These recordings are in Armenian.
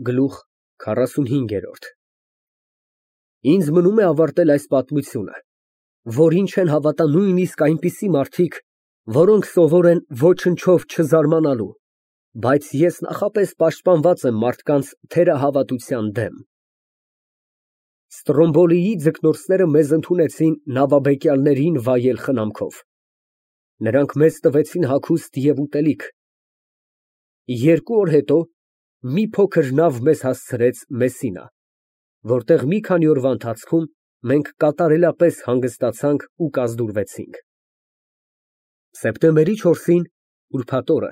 Գլուխ 45 Ինձ մնում է ավարտել այս պատմությունը, որին չեն հավատա նույնիսկ այնպիսի մարդիկ, որոնք սովոր են ոչնչով չզարմանալու, բայց ես նախապես պաշտպանված եմ մարդկանց թերահավատության դեմ։ Ստրոմբոլիի ձկնորսները մեզ ընդունեցին նավաբեկյալներին վայել խնամքով։ Նրանք մեզ տվեցին հագուստ և ուտելիք։ 2 օր հետո մի փոքր նավ մեզ հասցրեց Մեսինա, որտեղ մի քանի օրվա ընթացքում մենք կատարելապես հանգստացանք ու կազդուրվեցինք։ Սեպտեմբերի 4-ին, ուրբաթ օրը,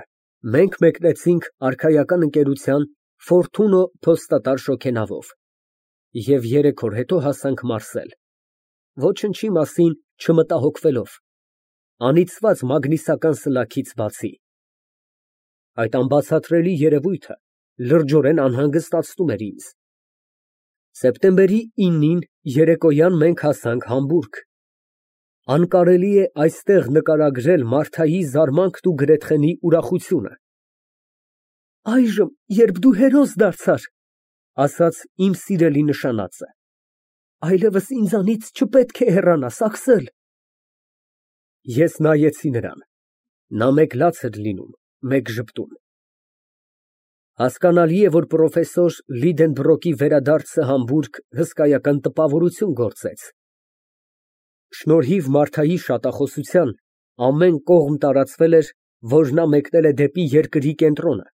մենք մեկնեցինք արքայական ընկերության Ֆորթունո փոստատար շոգենավով և 3 օր հետո հասանք Մարսել, ոչնչի մասին չմտահոգվելով, անիծված մագնիսական սլաքից բացի։ Այդ անբացատրելի երևույթը լրջորեն անհանգստացնում էր ինձ։ Սեպտեմբերի 9-ին երեկոյան մենք հասանք Համբուրգ։ Անկարելի է այստեղ նկարագրել Մարթայի զարմանքն ու Գրեթխենի ուրախությունը։ «Այժմ, երբ դու հերոս դարձար, ֊ ասաց իմ սիրելի նշանածը, ֊ այլևս ինձանից չպետք է հեռանաս, Աքսել»։ Ես նայեցի նրան, նա մեկ լաց էր լինում, մեկ ժպտում։ Հասկանալի է, որ պրոֆեսոր Լիդենբրոկի վերադարձը Համբուրգ հսկայական տպավորություն գործեց։ Շնորհիվ Մարթայի շատախոսության ամեն կողմ տարածվել էր, որ նա մեկնել է դեպի երկրի կենտրոնը։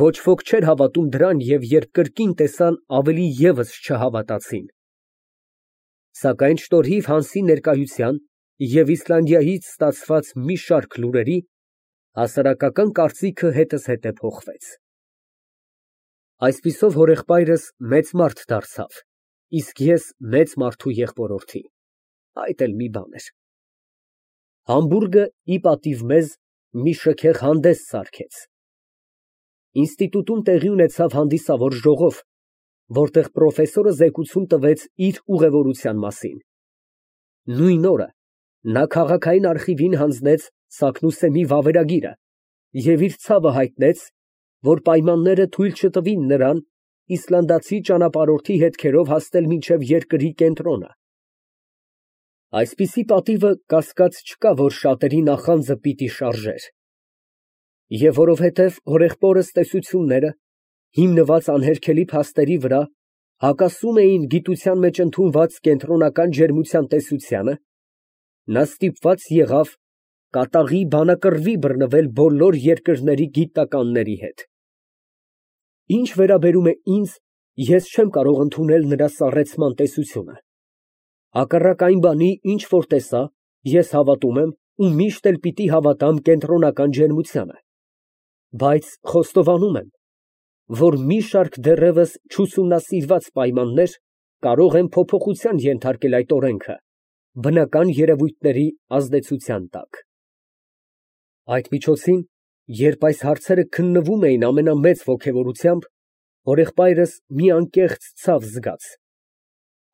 Ոչ ոք չէր հավատում դրան և երբ կրկին տեսան, ավելի ևս չհավատացին։ Սակայն շնորհիվ Հանսի ներկայության և Իսլանդիայից ստացված մի շարք լուրերի, հասարակական կարծիքը հետզհետե փոխվեց։ Այսպիսով հորեղբայրս մեծ մարդ դարձավ, իսկ ես մեծ մարդու եղբորորդի, այդ էլ մի բան էր։ Համբուրգը, ի պատիվ մեզ, մի շքեղ հանդես սարքեց։ Ինստիտուտում տեղի ունեցավ հանդիսավոր ժողով, որտեղ պրոֆեսորը զեկույցում տվեց իր ուղևորության մասին։ Նույն օրը նա քաղաքային արխիվին հանձնեց Սակնուսեմի վավերագիրը և իր ցավը հայտնեց, որ պայմանները թույլ չտվին նրան իսլանդացի ճանապարհորդի հետքերով հասնել մինչև երկրի կենտրոնը։ Այսպիսի պատիվը կասկած չկա, որ շատերի նախանձը պիտի շարժեր։ Եվ որովհետև հորեղբորս տեսությունները, հիմնված անհերքելի փաստերի վրա, հակասում էին գիտության մեջ ընդունված կենտրոնական ջերմության տեսությանը, նա ստիպված եղավ կատաղի բանակռվի բռնվել բոլոր երկրների գիտնականների հետ։ Ինչ վերաբերում է ինձ, ես չեմ կարող ընդունել նրա սառեցման տեսությունը։ Հակառակ այն բանի, ինչ որ տեսա, ես հավատում եմ ու միշտ էլ պիտի հավատամ կենտրոնական ջերմությանը, բայց խոստովանում եմ, որ մի շարք դեռևս չուսումնասիրված պայմաններ կարող են փոփոխության ենթարկել այդ օրենքը բնական երևույթների ազդեցության տակ։ Այդ միջոցին, երբ այս հարցերը քննվում էին ամենամեծ ոգևորությամբ, հորեղբայրս մի անկեղծ ցավ զգաց։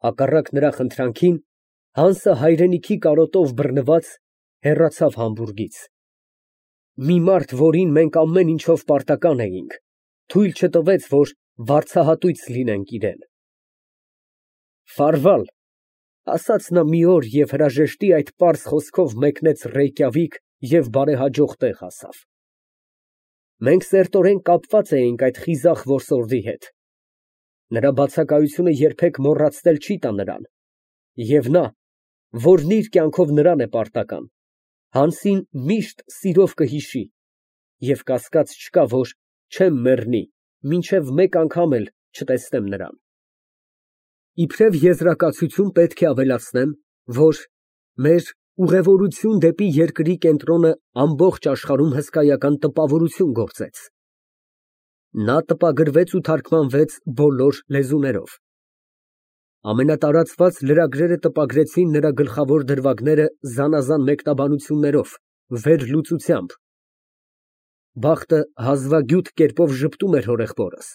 Հակառակ նրա խնդրանքին, Հանսը հայրենիքի կարոտով բռնված հեռացավ Համբուրգից։ Մի մարդ, որին մենք ամեն ինչով պարտական էինք, թույլ չտվեց, որ վարձահատույց լինենք իրան։ «Ֆարվալ», ասաց նա մի օր և հրաժեշտի այդ պարզ խոսքով մեկնեց Ռեյկյավիկ և բարեհաջող տեղ հասավ։ Մենք սերտորեն կապված էինք այդ խիզախ որսորդի հետ։ Նրա բացակայությունը երբեք մոռացնել չի տա նրան, և նա, որն իր կյանքով նրան է պարտական, Հանսին միշտ սիրով կհիշի և կասկած չկա, որ չեմ մեռնի, մինչև մեկ անգամ էլ չտեսնեմ նրան։ Իբրև եզրակացություն պետք է ավելացնեմ, որ մեր ուղևորություն դեպի երկրի կենտրոնը ամբողջ աշխարհում հսկայական տպավորություն գործեց։ Նա տպագրվեց ու թարգմանվեց բոլոր լեզուներով։ Ամենատարածված լրագրերը տպագրեցին նրա գլխավոր դրվագները զանազան մեկնաբանություններով, վերլուծությամբ։ Բախտը հազվագյուտ կերպով ժպտում էր հորեղբորս։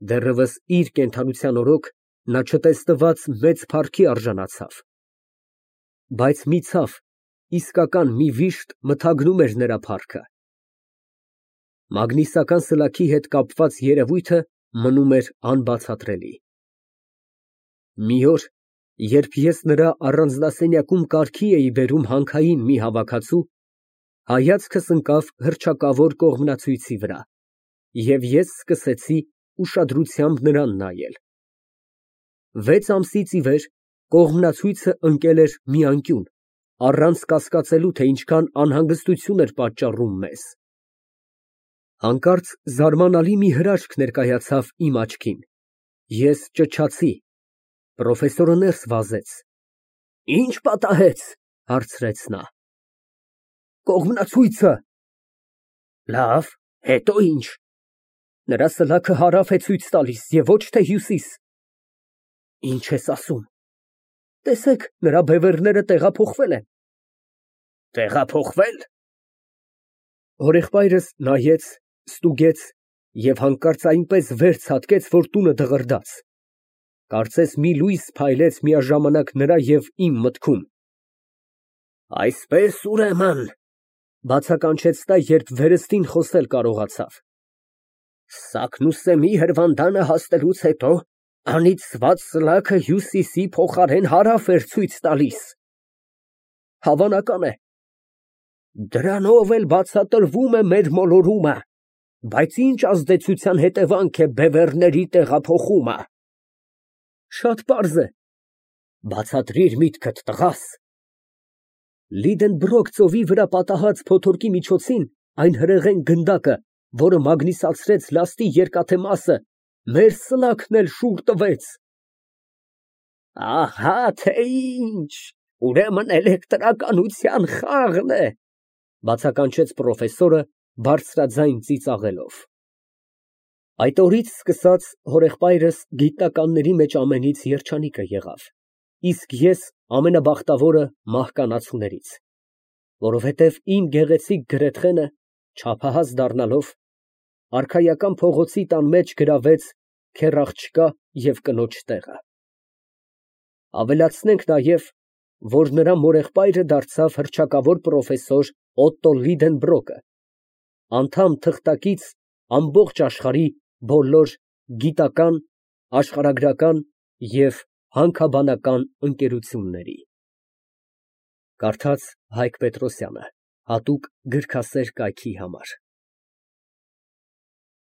Դեռևս իր կենդանության օրոք նա չտեսնված մեծ փառքի արժանացավ։ Բայց մի ցավ, իսկական մի վիշտ մթագնում էր նրա փառքը։ Մագնիսական սլաքի հետ կապված երևույթը մնում էր անբացատրելի։ Մի օր, երբ ես նրա առանձնասենյակում կարգի էի բերում հանքային մի հավաքածու, հայացքս ընկավ հռչակավոր կողմնացույցի վրա, և ես սկսեցի ուշադրությամբ նրան նայել։ 6 ամսից ի վեր կողմնացույցը ընկել էր մի անկյուն, առանց կասկածելու, թե ինչքան անհանգստություն էր պատճառում մեզ։ Հանկարծ զարմանալի մի հրաշք ներկայացավ իմ աչքին։ Ես ճչացի։ Պրոֆեսորը ներս վազեց։ Ինչ պատահեց, հարցրեց նա։ Կողմնացույցը։ Լավ, հետո ինչ։ Նրա սլաքը հարավ է ցույց տալիս և ոչ թե հյուսիս։ Ինչ ես ասում։ Տեսեք, նրա բևեռները տեղափոխվել են։ Տեղափոխվել։ Հորեղբայրս նայեց, ստուգեց և հանկարծ այնպես վեր ցատկեց, որ տունը դղրդաց։ Կարծես մի լույս փայլեց միաժամանակ նրա և իմ մտքում։ Այսպես, ուրեմն, բացականչեց նա, երբ վերստին խոսել կարողացավ, Սակնուսեմի հրվանդանը հասնելուց հետո անիծված սլաքը հյուսիսի փոխարեն հարավ էր ցույց տալիս։ Հավանական է։ Դրանով էլ բացատրվում է մեր մոլորումը, բայց ինչ ազդեցության հետևանք է բևեռների տեղափոխումը։ Շատ պարզ է։ Բացատրիր միտքդ, տղաս։ Լիդենբրոկ ծովի վրա պատահած փոթորկի միջոցին այն հրեղեն գնդակը, որը մագնիսացրեց լաստի երկաթե մասը, մեր սլաքն էլ շուռ տվեց։ Ահա թե ինչ, ուրեմն էլեկտրականության խաղն է, բացականչեց պրոֆեսորը բարձրաձայն ծիծաղելով։ Այդ օրից սկսած հորեղբայրս գիտնականների մեջ ամենից երջանիկը եղավ, իսկ ես ամենաբախտավորը մահկանացուներից, որովհետև իմ գեղեցիկ գրեթխենը, չափահաս դառնալով, արքայական փողոցի տան մեջ գրավեց քեռ աղջկա և կնոջ տեղը։ Ավելացնենք նաև, որ նրա մորեղբայրը դարձավ հռչակավոր պրոֆեսոր Օտտո Լիդենբրոկը, անդամ թղթակից ամբողջ աշխարհի բոլոր գիտական, աշխարհագրական և հանքաբանական ընկերությունների։ Կարդաց Հայկ Պետրոսյանը, հատուկ գրքասեր կայքի համար։